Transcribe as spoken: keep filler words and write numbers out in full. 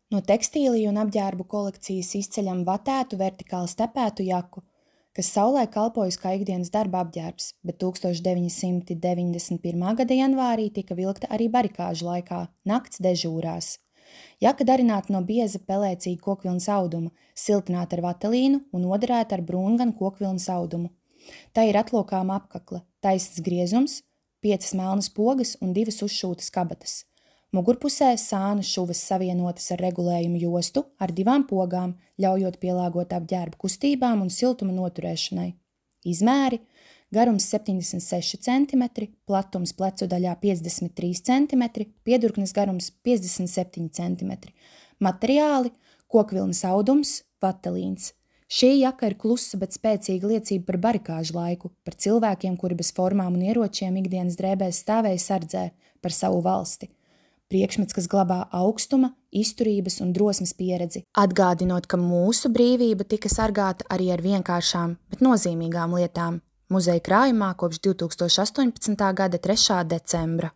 No tekstīliju un apģērbu kolekcijas izceļam vatētu vertikāli stepētu jaku, kas saulē kalpojas kā ikdienas darba apģērbs, bet tūkstoš deviņi simti deviņdesmit pirmā gada janvārī tika vilkta arī barikāžu laikā, nakts dežūrās. Jaka darināta no bieza pelēcīga kokvilnas auduma, siltināta ar vatelīnu un odarēta ar brūnganu kokvilnas audumu. Tā ir atlokāma apkakle, taisns griezums, piecas melnas pogas un divas uzšūtas kabatas. Mugurpusē sānu šuvas savienotas ar regulējumu jostu ar divām pogām, ļaujot pielāgot apģērbu kustībām un siltuma noturēšanai. Izmēri: garums septiņdesmit seši centimetri, platums plecu daļā piecdesmit trīs centimetri, piedurknes garums piecdesmit septiņi centimetri. Materiāli: kokvilnas audums, vatelīns. Šī jaka ir klusa, bet spēcīga liecība par barikāžu laiku, par cilvēkiem, kuri bez formām un ieročiem ikdienas drēbēs stāvēja sardzē par savu valsti. Priekšmets, kas glabā augstuma, izturības un drosmes pieredzi, atgādinot, ka mūsu brīvība tika sargāta arī ar vienkāršām, bet nozīmīgām lietām. Muzeja krājumā kopš divtūkstoš astoņpadsmitā gada trešā decembra.